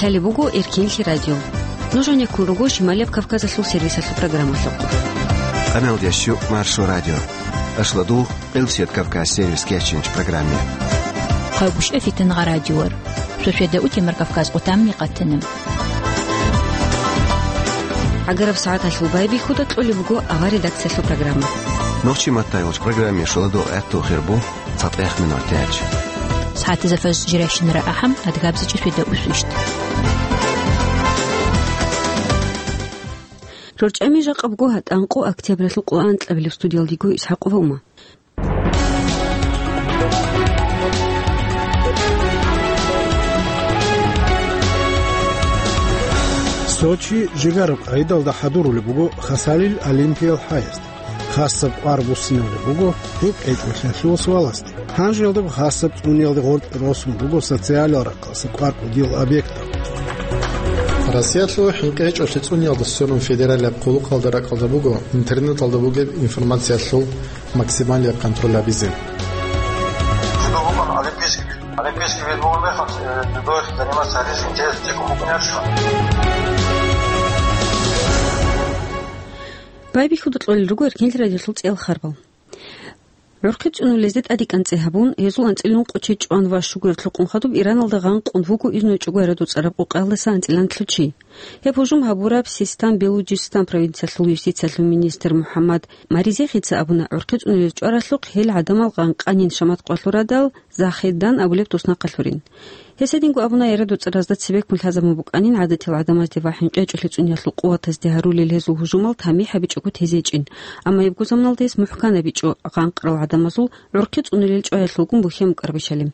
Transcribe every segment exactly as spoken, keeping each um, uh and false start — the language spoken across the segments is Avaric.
Лъалеб буго Эркинлъи радио. Нуж гьанеккун руго Шималияб Кавказалъул сервисалъул программалъухъ. Къаналдящу Маршо радио. Ашладу Къилсият Кавказ сервис кечинч программе. Хъавгушев Фитангъа радиор. Шошеда утемар Кавказ къутамни къатана. Агараб сагӀаталъул байбихьуда кьолеб буго ава редакциялъул программа. Нохчи маттайолч программе шоладо гӀатту хирбу. ЦатӀех минутач. СагӀатизафаз жиращинара ахӀам, адгабзичӀи сведа усвищт. РорчӀами жакъабго гьатӀанкъо октябралъул къугӀан кьабилеб студиялдиго Исхакъова Ума. Сочи жигараб къайдалда хӀадурулеб буго Хасалил Олимпиял хӀаясда. Хасаб кӀвар буссинавлеб буго гьеб кьечӀолъиялъул суаласде. Гьанжеялдаго хасаб цӀуниялде гъоркь росун руго социалал рахъалъа кӀвар-кӀудиял объектал. Россиялъул хӀинкъи гьечӀолъи цӀуниялда сверун федералияб хъулухъалда ракӀалда буго интернеталда бугеб информациялъул максималияб контроль гьабизе. Олимпийский вид бугеб мехалъ, э, дзюдоялъ заниматься гьаризеги интересный букӀунеб. Байбихьуда кьолел руго Эркинлъи радиолъул цӀеял харбал. ГӀурхъи цӀунулезде тӀадекӀанцӀи гьабун, гьезул анцӀила ункъо чи чӀван ва щуго гӀертӀлъухъун хадуб Ираналда гъанкъун вуго изну гьечӀого гӀарадуцӀараб къокъаялдаса анцӀила нилъго чи. Гьеб гьужум гьабураб Систан-Белуджистан провинциялъул юстициялъул министр МухӀаммад Маризехица абуна, гӀурхъи цӀунулез чӀваралъухъ гьел гӀадамал гъанкъанин шамат къвалъурадал, Захедан абулеб туснахъалъурин. Гьес гьединго абуна, гӀарадуцӀаразда цебеккун лъазабун букӀанин гӀадатиял гӀадамазде ва хӀинкъи гьечӀолъи цӀуниялъул къуватазде гьарулел гьезул гьужумал тамихӀ гьабичӀого тезе гьечӀин, амма гьебго заманалда гьес мухӀкан гьабичӀо гъанкъарал гӀадамазул гӀурхъи цӀунулел чӀваялъулгун бухьен букӀарабищали.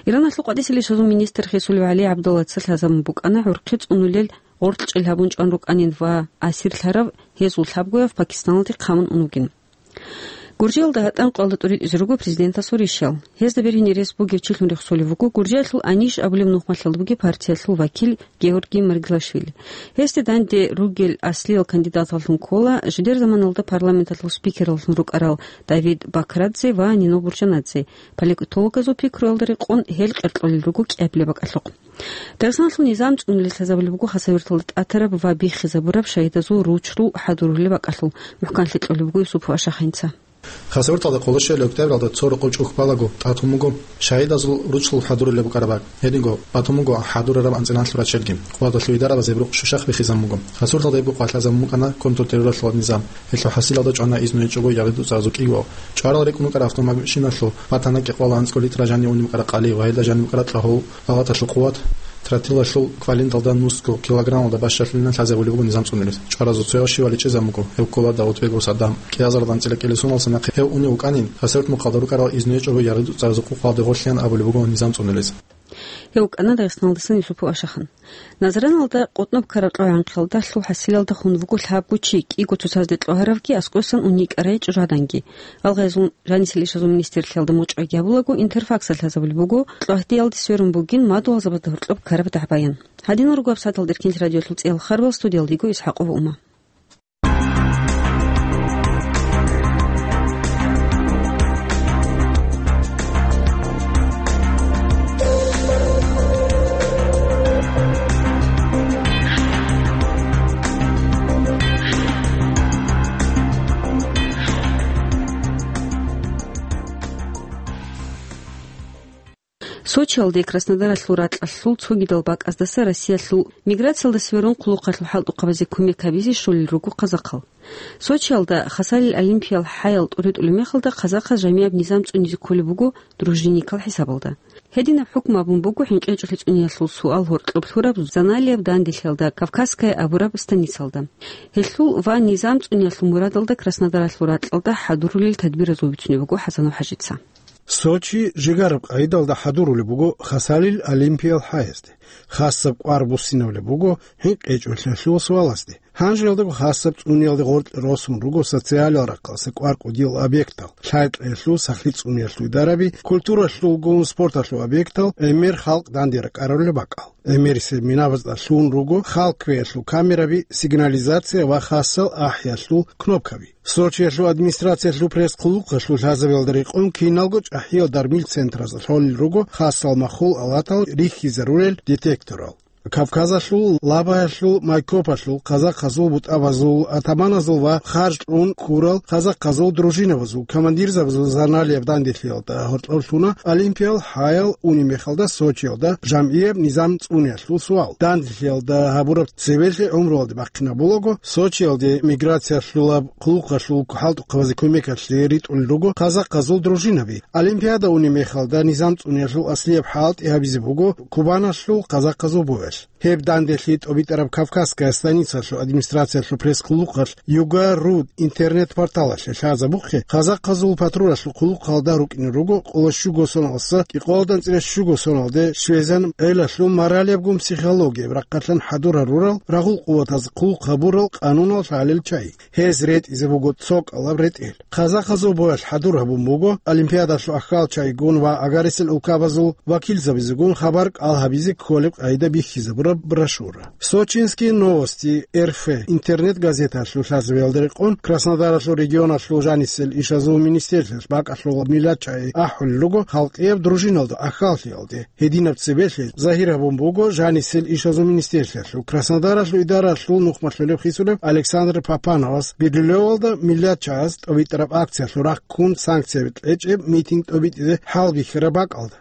Иранлъул къватӀиса релълъизул министр Хисулев ГӀали ГӀабдуллаца лъазабун букӀана гӀурхъи цӀунулел гъоркьчӀел гьабун чӀван рукӀанин ва асирлъарав гьезул лъабгояв Пакистаналде хъамун ун вугин. Гуржиялда гьатӀан къвалда тӀуритӀизе руго президентасул ришал. Гьезда бергьине рес бугев чилъун рехсолев вуго Гуржиялъул АНИШ абулеб нухмалъалда бугеб партиялъул вакил Георгий Маргилашвили. Гьесде данде ругел аслиял кандидаталлъун ккола жидер заманалда парламенталъул спикерлъун рукӀарал Давид Бакрадзе ва Нино Бурчанадзе. Политологазул пикруялда рекъон гьел къеркьолел руго кӀиабилеб бакӀалъухъ. Дагъистаналъул низам цӀунулел лъазабулеб буго Хасавюрталда тӀатараб ва биххизабураб шагьидазул ручру хӀадурулеб бакӀалъул. МухӀканлъи кьолеб буго Юсупов Ашахъинца. Хасавюрталда къоло щуабилеб октябралда цо рокъов чӀухь балаго тӀатун буго шагьидазул ручру хӀадурулеб букӀараб бакӀ. Гьединго батун буго хӀадурараб анцӀила налъур рачелги. Къуваталъул идарабаз гьеб рукъ щущахъ биххизабун бугеб. Хасавюрталда гьебго къвалъазабун букӀана контртеррорлъул низам. Гьелъул хӀасилалда чӀвана изну гьечӀого гӀарадуцӀаразул кӀиго. ЧӀварал рекӀун рукӀарал автомашиналъул батана кӀикъоялда анцӀго литра жанив унеб букӀараб къали ва гьелда жаниб букӀараб кьагьул палаталъул къуват, тротилалъул кваленталда нусго килограммалда бащалъулин лъазабулеб буго низам цӀунулез. ЧӀваразул цояв щивали чӀезабун буго, гьев ккола Давутбегов Саддам. КӀиазарда анцӀила кӀелесуналдаса нахъе гьев унев вукӀанин, Хасавюрт мухъалда рукӀарал изну гьечӀого гӀарадуцӀаразул къукъалде гъорлъеян абулеб буго низам цӀунулез. Гьев вукӀана Дагъистаналдасан Юсупов Ашахъан. Назраналда къотӀноб ккараб кьогӀанхъалдалъул хӀасилалда хун вуго лъабго чи, кӀиго цоцазде кьогьаравги аскӀосан уней кӀарай чӀужугӀаданги. Гьалгъайзул жанисел ишазул министрлъиялда мочӀаги гьабулаго, Интерфаксалъ лъазабулеб буго кьогьдиялде сверун бугин мадугьалзабазда гьоркьоб ккараб дагӀбаян. Гьадинал руго гьабсагӀаталда Эркинлъи радиолъул цӀеял харбал, студиялдиго Исхакъова Ума. Сочиялде Краснодаралъул ракьалъул цогидал бакӀаздаса Россиялъул миграциялда сверун хъулухъалъул хӀалтӀухъабазе кумек гьабизе щолел руго казахъал. Сочиялда Хасалил Олимпиял хӀаял тӀуритӀулеб мехалда казахъаз жамияб низам цӀунизе кколеб буго дружинникал хӀисабалда. Гьединаб хӀукму абун буго хӀинкъи гьечӀолъи цӀуниялъул суал гьоркьоб лъураб Заналияб данделъиялда Кавказская абураб станицалда. Гьелъул ва низам цӀуниялъул мурадалда Краснодаралъул ракьалда хӀадурулел тадбиразул бицунеб буго ХӀасанов ХӀажица. Сочи жигараб къайдалда хӀадурулеб буго Хасалил Олимпиял хӀаясде, хасаб кӀвар буссинавлеб буго хӀинкъи гьечӀолъиялъул суаласде. Гьанжеялдаго хасаб цӀуниялде гъоркь росун руго социалал рахъалъа кӀвар-кӀудиял объектал, лъай-кьеялъул сахлъи цӀуниялъул идараби, культуралъулгун спорталъул объектал, гӀемер халкъ данде ракӀарулел бакӀал. ГӀемерисеб минабазда лъугьун руго хал кквеялъул камераби, сигнализация ва хасал ахӀиялъул кнопкаби. Сочиялъул администрациялъул пресс-хъулухъалъул лъазабиялда рекъон киналго чӀахӀиял дармил центразда лъолел руго хасал махул алатал рихьизарулел детекторал. Кавказалъул, Лабаялъул, Майкопалъул казахъазул бутӀабазул атаманазул ва харж кьун ккурал казахъазул дружинабазул командирзабазул заналияб данделъиялда гьоркьоб лъуна олимпиял гьаял унеб мехалда Сочиялда жамгӀияб низам цӀуниялъул суал. Данделъиялда гьабураб цебелъи гӀумруялде бахъинабулаго, Сочиялде миграциялъулаб хъулухъалъул хӀалтӀухъабазе кумекалъе ритӀулел руго казахъазул дружинаби. Олимпиада унеб мехалда низам цӀуниялъул аслияб хӀалтӀи гьабизе буго Кубаналъул казахъазул боялъ. Гьеб данделъи тӀобитӀараб Кавказская станицалъул администрациялъул пресс-хъулухъалъ Юга ру интернет-порталалъе лъазабухъе, казахъазул патрулалъул хъулухъалда рукӀине руго къоло щуго соналдаса кӀикъоялда анцӀила щуго соналде щвезан гӀелалъул моралиябгун психологияб рахъалъан хӀадур гьарурал, рагъул къуватаз хъулухъ гьабурал къанунал лъалел чагӀи. Гьез ретӀизе буго цо кӀалаб ретӀел. Казахъазул боялъ хӀадур гьабун буго олимпиадалъул ахьал чагӀигун ва агьарисел улкабазул вакилзабизегун хабар кӀал гьабизе кколеб къагӀида бихьизабураб брошюра. «Сочинские новости РФ» интернет-газеталъул лъазабиялда рекъон, Краснодаралъул регионалъул жанисел ишазул министрлъиялъ бакӀалъул миллат чагӀи ахӀулел руго халкъияб дружиналда ахьаллъиялде. Гьединаб цебелъи загьир гьабун буго жанисел ишазул министрлъиялъул Краснодаралъул идаралъул нухмалъулеб хисулеб Александр Папановас Бирюлевалда миллат чагӀаз тӀобитӀараб акциялъул рахъ ккун санкцияби кьечӀеб митинг тӀобитӀизе хӀалбихьараб бакӀалда.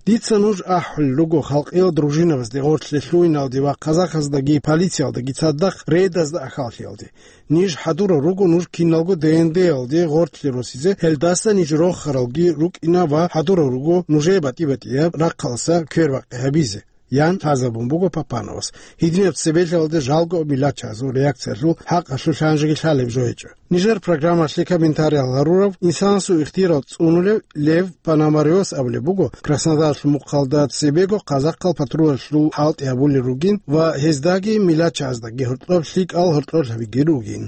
Дица нуж ахӀулел руго халкъиял дружинабазде гъорлъе лъугьиналде ва казахаздаги полициялдаги цадахъ рейдазда ахьаллъиялде. Ниж хӀадурал руго нуж киналго ДНД-ялде гъорлъе росизе, гьелдаса ниж рохаралги рукӀина ва хӀадурал руго нужее батӀи-батӀияб рахъалъа квербакъи гьабизе, ян лъазабун буго Папановас. Гьединаб цебелъиялда жалго миллат чагӀазул реакциялъул хӀакъалъулъ гьанжеги лъалеб жо гьечӀо. Нижер программалъе комментариял гьарурав инсанасул ихтияр цӀунулев Лев Пономарёвас абулеб буго, Краснодаралъул мухъалда цебего казахъал патрулалъул хӀалтӀи гьабулел ругин ва гьездаги миллат чагӀаздаги гьоркьоб лъикӀал гьоркьорлъабиги ругин.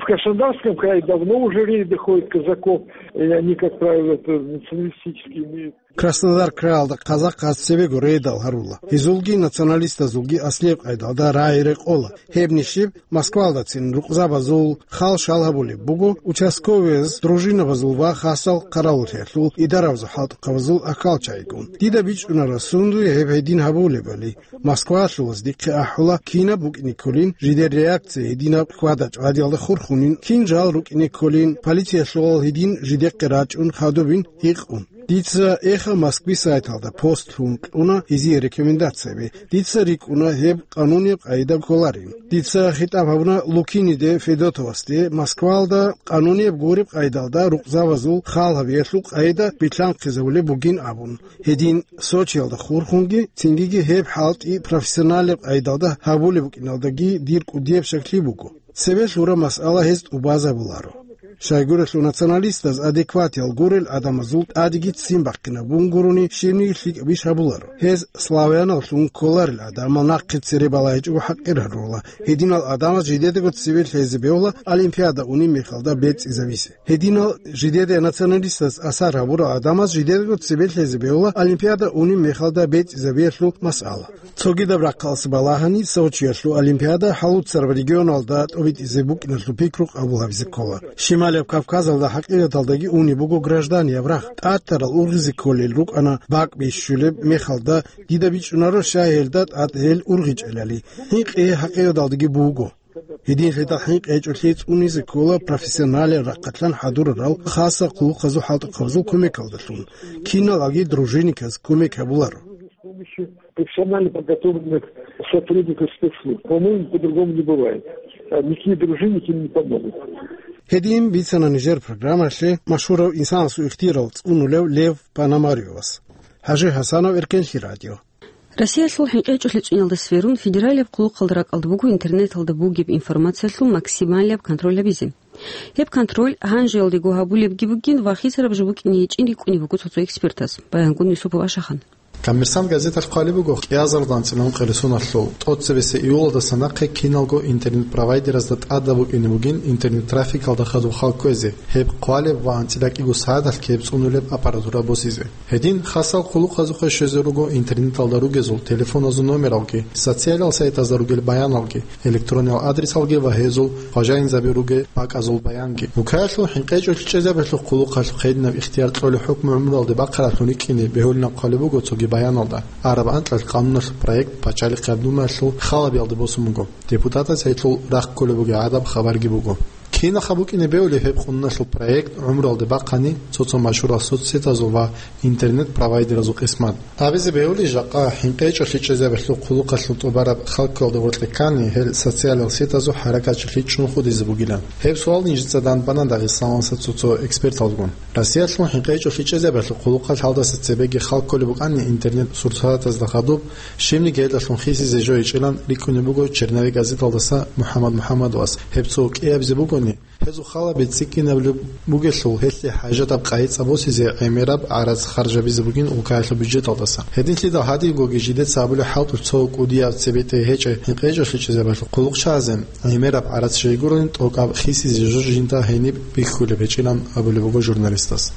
В Краснодарском крае давно уже рейды ходят казаков, и они, как правило, это националистические имеют. Краснодар краялда казахъаз цебего рейдал гьарула. Гьезулги националистазулги аслияб къайдалда рагӀи рекъола. Гьеб нилъ Москвалдацин рукъзабазул хал-шал гьабулеб буго участковыяз, дружинабазул ва хасал хъаравуллъиялъул идарабазул хӀалтӀухъабазул ахьал чагӀигун. Дида бичӀчӀунаро сундуе гьеб гьедин гьабулебали. Москвалъулаз дихъе ахӀула, кинаб букӀине кколин жидер реакция гьединаб хьвада-чӀвадиялда хурхунин, кин жал рукӀине кколин, полициялъулал гьедин жидехъе рачӀун хадубин гьикъун. Дица Эхо Москвы сайталда пост лъун кьуна гьезие рекомендацияби. Дица рикӀкӀуна гьеб къанунияб къайда кколарин. Дица хитӀаб гьабуна Лукиниде Федотовасде Москвалда къанунияб гуреб къайдалда рукъзабазул хал гьабиялъул къайда билълъанхъизабулеб бугин абун. Гьедин Сочиялда хурхунги, цингиги гьеб хӀалтӀи профессионалеб къайдалда гьабулеб букӀиналдаги дир кӀудияб щаклъи буго. Цебе лъураб масъала гьез тӀубазабуларо. Щайгурелъул националистаз адекватиял гурел адамазул тӀадеги ццин бахъинабун гурони щибниги лъикӀаб иш гьабуларо. Гьез славяналлъун кколарел адамал нахъе цере балагьичӀого хӀакъир гьарула. Гьединал адамаз жидедаго цебе лъезе бегьула Олимпиада унеб мехалда бецӀизабизе. Гьединал жидеде националистаз асар гьабурал адамаз жидедаго цебе лъезе бегьула Олимпиада унеб мехалда бецӀизабиялъул масъала. Цогидаб рахъалъ балагьани, Сочиялъул Олимпиада хӀалуцараб регионалда тӀобитӀизе букӀиналъул пикру къабул гьабизе ккола. Щималияб Кавказалда хӀакъикъаталдаги унеб буго гражданияб рагъ, тӀатарал ургъизе кколел рукӀана бакӀ бищулеб мехалда, дида бичӀчӀунаро щай гьелда тӀад гьел ургъичӀелали. ХӀинкъи хӀакъикъаталдаги буго. Гьединлъидал хӀинкъи гьечӀолъи цӀунизе ккола профессионалияб рахъалъан хӀадурарал хасал хъулухъазул хӀалтӀухъабазул кумекалдалъун. Киналги дружинниказ кумек гьабуларо. С помощью профессионально подготовленных сотрудников спецслужб. По-моему, по-другому не бывает. А никакие дружинники не помогут. Гьедин бицана нижер программалъе машгьурав инсанасул ихтияр цӀунулев Лев Пономарёвас. ХӀажи ХӀасанов, Эркенлъи радио. Россиялъул хӀинкъи гьечӀолъи цӀуниялда сверун, федералияб хъулухъалда ракӀалда буго интернеталда бугеб информациялъул максималияб контроль гьабизе. Гьеб контроль гьанжеялдего гьабулебги бугин ва хисараб жо букӀине гьечӀин рикӀкӀунеб буго цо-цо экспертаз. Баянгун Юсупов Ашахан. «Коммерсант» газеталъ хъвалеб буго, кӀиазардан анцӀила ункъо ресуналъул тӀоцебесеб июлалдаса нахъе киналго интернет-провайдеразда тӀадаб букӀине бугин интернет-трафикалда хадуб хал кквезе, гьеб хъвалеб ва анцӀила кӀиго сагӀаталъ ккей цӀунулеб аппаратура босизе. Гьедин хасал хъулухъазухъе щвезе руго интернеталда ругезул телефоназул номералги, социалиял сайтазда ругел баяналги, электрониял адресалги ва гьезул хважаинзаби ругел бакӀазул баянги. Вукаялъул хӀинкъи гьечӀолъи чӀезабиялъул хъулухъалъ хъединаб ихтияр кьолеб хӀукму гӀумруялде бахъараблъун рикӀкӀине бегьулин хъвалеб буго цоги районалда араб анкьалъ къануналъул проект Пачалихъ гьаб Думаялъул халабиялде босун буго. Депутатаз гьелъул рахъ кколеб бугеб гӀадаб хабарги буго. Кинаха букӀине бегьулеб гьеб къунуналъул проект гӀумруялде бахъани цо-цо машгьурал соцсетазул ва интернет-провайдеразул къисмат? Абизе бегьулеб, жакъа хӀинкъичӀолъи чӀезабиялъул хъулухъалъул тӀубараб халккалда гъоркье ккани, гьел социалал сетазул хӀаракатчилъи чӀун худизе бугилан. Гьеб суал нижеца данбана Дагъистаналдаса цо-цо эксперталгун. Россиялъул хӀинкъичӀолъи чӀезабиялъул хъулухъалъ гьалдаса цебеги халкколеб букӀани интернет-сурсатазда хадуб, щибниги гьелдалъун хисизе жо гьечӀилан рикӀкӀунеб буго «Черновик» газеталдаса МухӀаммад МухӀаммадовас. Гьеб цо кӀиабизе бугони, гьезул халаби цӀикӀкӀинабулеб бугелъул, гьелъие хӀажатаб къайи-цӀа босизе гӀемераб гӀарац харжабизе бугин улкаялъул бюджеталдаса. Гьединлъидал гьадингоги жидеца абулеб хӀалтӀулъ цо кӀудияб цебетӀей гьечӀеб хӀинкъичӀолъи чӀезабиялъул хъулухъчагӀазе гӀемераб гӀарац щайгурелъул тӀокӀаб хисизе жо жинда гьениб бихьулеб гьечӀилан абулеб буго журналистас.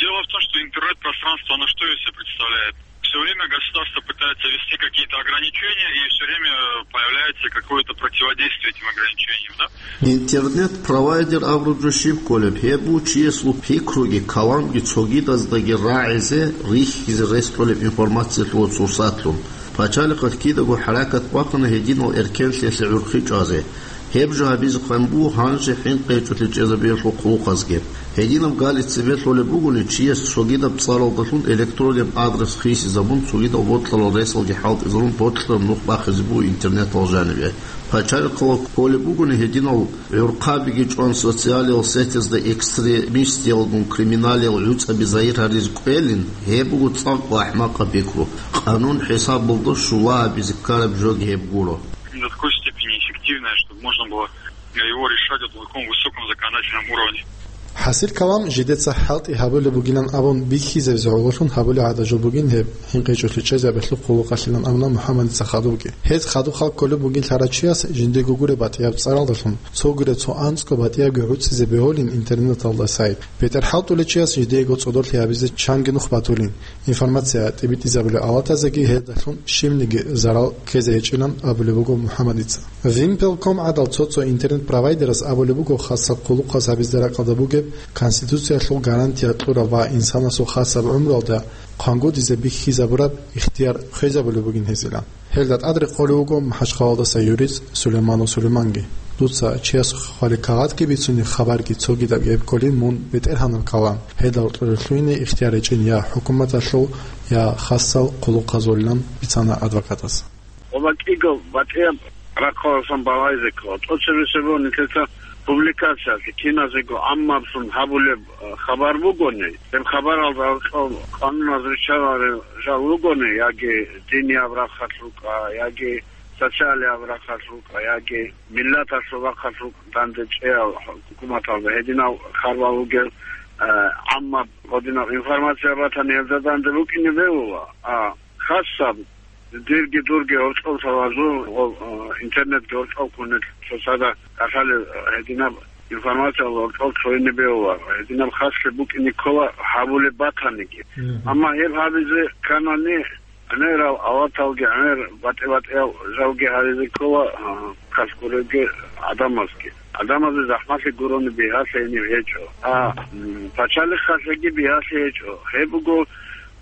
Дело в том, что интернет-пространство, оно что из себя представляет? Всё время государство пытается ввести какие-то ограничения, и всё время появляется какое-то противодействие этим ограничениям, да? Интернет-провайдер абураб жо щиб кколеб? Гьеб буго чиясул пикруги, каламги цогидаздаги рагӀизе, рихьизе рес кьолеб информациялъул сурсатлъун. Пачалихъалъ кидаго хӀаракат бахъана гьединал эркенлъиялъе гӀурхъи чӀвазе. Гьеб жо гьабизе хъван буго гьанже хӀинкъичӀолъи чӀезабиялъул хъулухъазги. Гьединаб гали цебе лъолеб бугони, чияс цогидаб цӀаралдалъун электронный адрес хисизабун, цогидал бокьарал ресалги хӀалтӀизарун, бокьараб нух бахизе буго интернеталда жанибе. Пачалихъалда кколеб бугони гьединал гӀурхъабиги чӀван социалал сетазда экстремистиялгун криминалиял гӀуцӀаби загьир гьаризе кӀвелин, гьеб буго цӀакъго ахӀмакъаб пикру. Къанун хӀисабалда щула гьабизе ккараб жоги гьеб гуро. До такой степени эффективная, чтобы можно было его решать вот на таком высоком законодательном уровне. ХӀасил калам жидеца хӀалтӀи гьабулеб бугилан абун бихьизабизе гӀололъун гьабулеб гӀадаб жо бугин гьеб хӀинкъичӀолъи чӀезабиялъул хъулухъалъилан абуна МухӀаммадица хадубги. Гьез хадуб халкколеб бугин лъарав чияс жиндего гуреб батӀияб цӀаралдалъун, цогидаб цо анцӀго батӀиябги гӀуцӀизе бегьулин интернеталда сайт. БетӀер хӀалтӀулев чияс жидего цӀодорлъи гьабизе чанги нух батулин. Информация тӀибитӀизабулел алатазеги гьелдалъун щибниги зарал ккезе гьечӀилан абулеб буго МухӀаммадица. Вимпелком гӀадал цо-цо интернет-провайдераз абулеб буго хасаб хъулухъаз гьабизе ракӀалда бугеб, Конституциялъул гарантия кьураб ва инсанасул хасаб гӀумруялда хъвангудизе бихьизабураб ихтияр хвезабулеб бугин гьезила. Гьелда тӀад рекъолев вуго МахӀачхъалаялдаса юрист Сулейманов Сулейманги. Дуца чияс хвалил кагъатги бицунеб, хабарги цогидаб гьеб кколин мун бетӀергьанаб калам, гьелда гьоркьоре лъугьине ихтияр гьечӀин я хӀукуматалъул, я хасал хъулухъазулилан бицана адвокатас. Оба кӀиго батӀияб рахъаласан балагьизе ккола. ТӀоцебесеб нилъеца публикациялъе, киназего гӀаммаблъун гьабулеб, э, хабар бугони, гьеб хабаралда гьоркьоб къануназ риччаларел жал ругони, яги динияб рахъалъ рукӀа, яги социалияб рахъалъ рукӀа, яги миллаталъул рахъалъ рукӀа данде чӀеял хӀукуматалда гьединал харбал ругел, э, гӀаммаб гьединаб информация батани, гьелда данде букӀине бегьула. А хасаб, дирги дурги гьоркьов лъалазул, гьоб, э, интернетги гьоркьов ккунел цоцазда кӀалъалел, э, гьединаб информация гьоркьов цойине бегьула, гьединаб хаслъи букӀине ккола гьабулеб батаниги. Мгм. Амма гьеб гьабизе кканани, гӀемерал аваталги, гӀемер батӀи-батӀиял жалги гьаризе ккола, а, калъгуребги гӀадамазги. ГӀадамазда захӀмалъи гурони бигьалъи гьениб гьечӀо. А, м, пачалихъалъеги бигьалъи гьечӀо. Гьеб буго,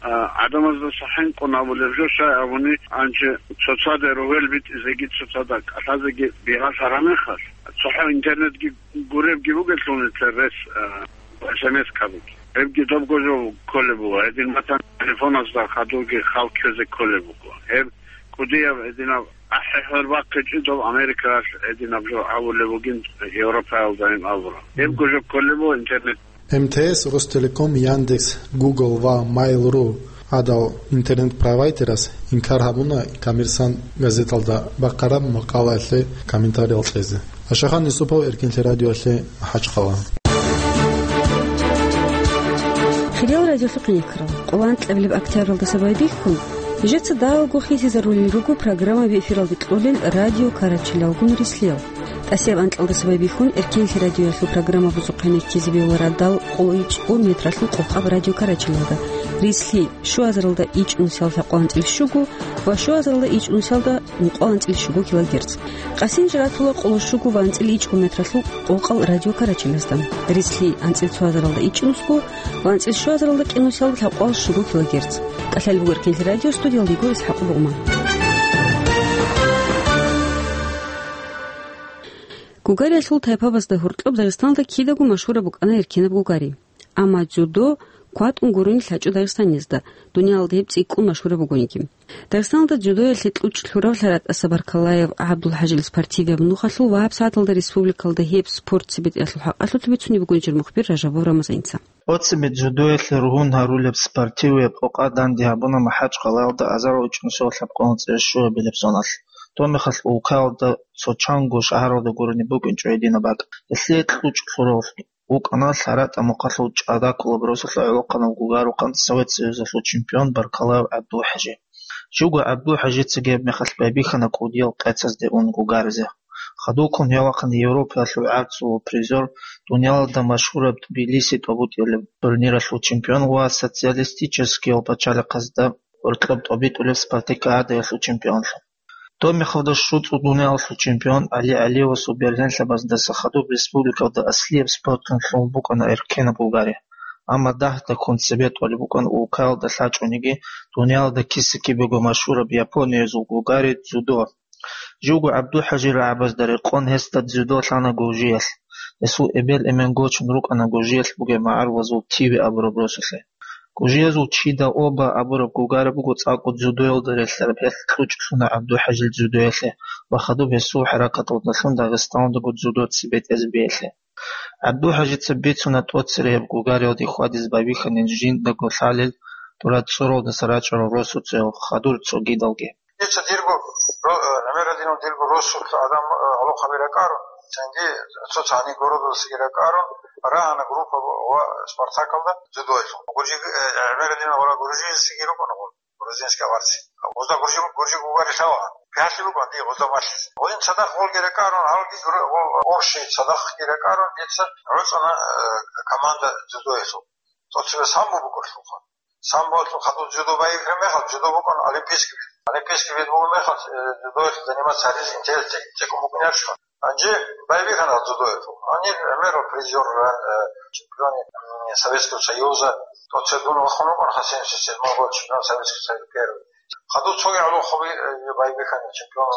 а, гӀадамаздаса хӀинкъун абулеб жо, щай абуни, анчи цоцаде рогьел битӀизеги, цоцада кӀалъазеги бигьалъ гьарамехалъ, цохӀо интернетги гуребги бугелъул нилъер рес, а, эс эм эс кабиги. Гьебги добго жо кколеб буго, гьедин батани телефоназда хадурги хал ккезе кколеб буго. Гьеб кӀудияб гьединаб ахӀи-хӀор бахъичӀо доб Америкаялъ гьединаб жо гьабулеб бугин Европаялдайин абура. Гьебго жо кколеб буго интернет. М Т С, Ростелеком, Яндекс, Google ва Mail.ru гӀадал интернет-провайдераз инкар гьабуна «Коммерсант» газеталда бахъараб макъалаялъе комментариял кьезе. Ашахан Юсупов, Эркинлъи радиоялъе, МахӀачхъала. Хириял радиолъухъ никрал, къоло анкьабилеб октябралдаса байбихьун, жеца давго хисизарулел руго программаби эфиралде кьолел радио карачилалгун рислъел. ТӀасияб анкьалдаса байбихьун, Эркенлъи радиоялъул программа бузухъе ккезе бегьула радал къоло ичӀго метралъул къокъаб радио Карачалалда. Рицлъи, щуазаралда ичӀнусиялда лъабкъоялда анцӀила щуго ва щуазаралда ичӀнусиялда ункъоялда анцӀила щуго килогерц. Къасин жратула къоло щуго ва анцӀила ичӀго метралъул къокъал радио Карачалазда. Рицлъи, анцӀила цоазаралда ичӀнусго ва анцӀила щуазаралда кӀинусиялда лъабкъоялда щуго килогерц. КӀалъалеб буго Эркенлъи радио, студиялда йиго ИсхӀакъ Бугъма. Гугариялъул тайпабазда гьоркьоб Дагъистанда кидаго машгьураб букӀана эркенаб гугари. Амма дзюдо кватӀун гурони лъачӀо дагъистаниязда, дуниялалда гьеб цӀикӀкӀун машгьураб бугониги. Дагъистаналда дзюдоялъе кьучӀ лъурав ЛъаратӀаса Баркалаев ГӀабдулхӀажил спортивияб нухалъул ва гьабсагӀаталда республикалда гьеб спорт цебетӀиялъул хӀакъалъулъ бицунеб бугони жир мухбир Ражабов Рамазаница. Оцебе дзюдоялъе ругьун гьарулеб спортивияб къокъа данде гьабуна МахӀачкъалаялда азарал ичӀнусиялда лъабкъоялда анцӀила щуабилеб зоналъ. Доб мехалъ улкаялда цо чанго шагьаралда гурони букӀинчӀо гьединаб бакӀ. Гьелъие кьучӀ лъурав вукӀана ЛъаратӀа мухъалъул ЧӀагакулаб росулъа гӀолохъанав гугарухъан Совет Союзалъул чемпион Баркалаев ГӀабдулхӀажи. Живго ГӀабдулхӀажицаги гьеб мехалъ байбихьана кӀудиял къецазде ун гугаризе. Хадубккун гьев вахъана Европаялъул гӀарцул призер, дуниялалда машгьураб Тбилиси тӀобитӀулеб турниралъул чемпион ва социалистическиял пачалихъазда гьоркьоб тӀобитӀулеб спартакиадаялъул чемпионлъун. Доб мехалда щуцӀул дуниялалъул чемпион ГӀали ГӀалиевасул бергьенлъабаздаса хадуб республикалда аслияб спортлъун лъугьун букӀана эркенаб гугари. Амма дагьдаккун цебетӀолеб букӀана улкаялда лъачӀониги, дуниялалда киса-кибего машгьураб Япониязул гугари дзюдо. Живго ГӀабдулхӀажи рагӀабазда рекъон гьесда дзюдо лъана гуржиялъ. Гьесул эбел-эмен гочун рукӀана гуржиялъ бугеб магӀарулазул Тиви абураб росулъе. Гуржиязул Чида Оба абураб гугари буго цӀакъго дзюдоялда релълъараб, гьелъ кьучӀ лъуна ГӀабдулхӀажил дзюдоялъе ва хадуб гьесул хӀаракаталдалъун Дагъистаналдаго дзюдо цебетӀезе бегьлъи. ГӀабдулхӀажица бицуна тӀоцере гьеб гугариялде хьвадизе байбихьанин жиндаго лъалел тӀурацӀцӀуралдаса рачӀарал росуцояв хадур цогидалги. Дица дирго ро-, э, гӀемер гьадинав дирго росулъ адам, э, гӀолохъаби ракӀарун, цинги цо цани городалдасаги ракӀарун, рагьана группа ва Спартакалда дзюдоялъул. Гуржи, э, гӀемер гьадинав гъура гуржизеги рукӀана гъур, грузинский аварци. Гъузда гуржи, гуржи гугари лъала. Пялъи букӀана дие гъузда малъизе. Гъудин цадахъ гъолги ракӀарун, гьалги гур-, гъо-, общий цадахъги ракӀарун, дица гӀуцӀана, э, команда дзюдоялъул. ТӀоцебе самбо букӀурлъулха. Самболъул хадуб дзюдо байбихьараб мехалъ, дзюдо букӀана олимпийский вид. Олимпийский вид бугеб мехалъ, э, дзюдоялъ заниматься гьаризе интерес цӀе-, цӀикӀкӀун букӀине гьечӀо. Гьанже байбихьана дзюдоялъул. Гьанир гӀемерал призер, э, чемпион, м, Советского Союза, тӀоцебе дун вахун вукӀана, ха семьдесят седьмого года чемпион Советского Союза первый. Хадуб цоги гӀолохъаби, э, байбихьана чемпион.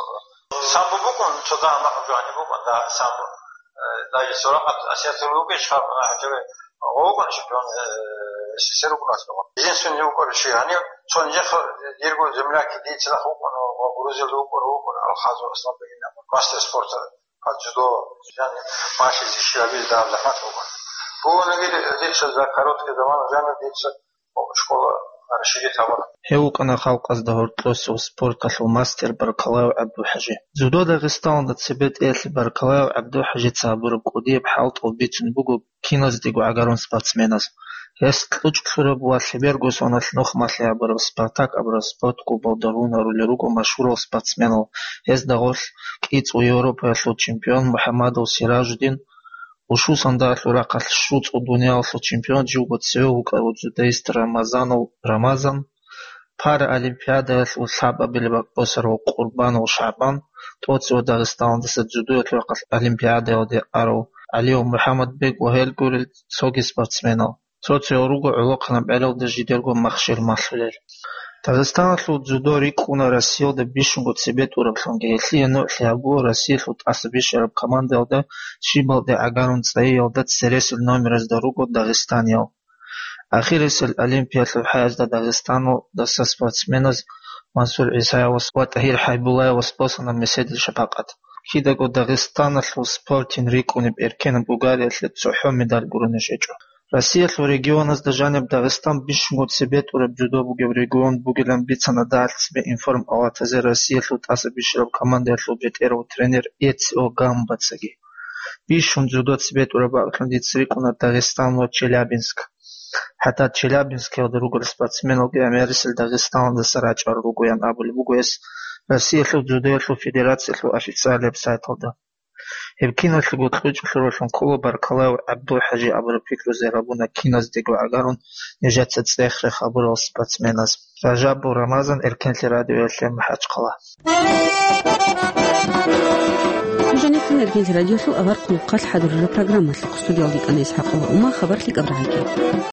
Самбо букӀун, цо дагьа макъ жо гьаниб букӀун, дагьа самбо. Э, даже Суракъат Асиятов вугищ, гьаб, ана, гьанже вукӀун чемпион, э, СССР вукӀун аскӀоб. Единственный вукӀарав чи гьанив, цо нижехъа дирго земляк, дица нахъ вукӀун, ва Грузиялда вукӀун, вукӀун, Алхазов Асланбегин абун, мастер спорта по дзюдо, яни, малъизе щибабизе дагьаб захӀмат вукӀун. Бугониги дица за короткий заман жанив дица школа расширить гьабуна. Гьев вукӀана халкъазда гьоркьосев спорталъул мастер Баркалаев ГӀабдулхӀажи. Дзюдо Дагъистаналда цебетӀеялъе Баркалаев ГӀабдулхӀажица гьабураб кӀудияб хӀалтӀул бицун буго киназдаго гӀагарун спортсменаз. Гьес кьучӀ лъураб ва лъеберго соналъ нухмалъи гьабураб Спартак абураб спорт клубалда ругьун гьарулел руго машгьурал спортсменал, гьезда гъорлъ кӀицӀул Европаялъул чемпион МухӀаммадов Сиражудин, Ушу сандалъул рахъалъ щуцӀул дуниялалъул чемпион, живго цеве вукӀарав дзюдоист Рамазанов Рамазан, Паралимпиадаялъул лъабабилеб бакӀ босарав Къурбанов ШагӀбан, тӀоцеве Дагъистаналдаса дзюдоялъул рахъалъ Олимпиадаялде арав ГӀалиев МухӀаммадбек ва гьел гурел цоги спортсменал. Цо-цо руго гӀолохъанаб гӀелалда жидерго махщел малъулел. Дагъистаналъул дзюдо рикӀкӀуна Россиялда бищунго цебетӀураблъунги. Гьелъие нугӀлъи гьабула Россиялъул тӀаса бищараб командаялда щибалде гӀагарун цӀайиялда цересел номеразда руго дагъистаниял. Ахирисел Олимпиялъул хӀаязда Дагъистаналдаса спортсменаз Мансур ГӀисаевас ва ТӀагьир ХӀайбуллаевас босана меседил шапакъат. Кидаго Дагъистаналъул спортин рикӀкӀунеб эркенаб гугариялъе цохӀо медаль гурони щвечӀо. Россиялъул регионазда жаниб Дагъистан бищунго цебетӀураб дзюдо бугеб регион бугилан бицана дагьалъ цебе информпалатазе Россиялъул тӀаса бищараб командаялъул бетӀерав тренер Эцио Гамбацаги. Бищун дзюдо цебетӀураб бакӀлъун дица рикӀкӀуна Дагъистан ва Челябинск. ХӀатта Челябинскиялда ругел спортсменалги гӀемерисел Дагъистаналдаса рачӀарал ругоян абулеб буго гьес Россиялъул дзюдоялъул федерациялъул официалияб сайталда. Гьеб киналъего кьучӀулъуралъун ккола Баркалаев ГӀабдулхӀажи абураб пикрузе гьабуна киназдего гӀагарун нижеца цӀех-рех абурал спортсменаз. Ражабов Рамазан, Эркенлъи радиоялъе, МахӀачхъала. Нуж жаниб ккун Эркенлъи радиолъул авар хъулухъалъ хӀадурараб программалъухъ. Студиялда йикӀана ИсхӀакъова Ума, хабар лъикӀаб рагӀаги.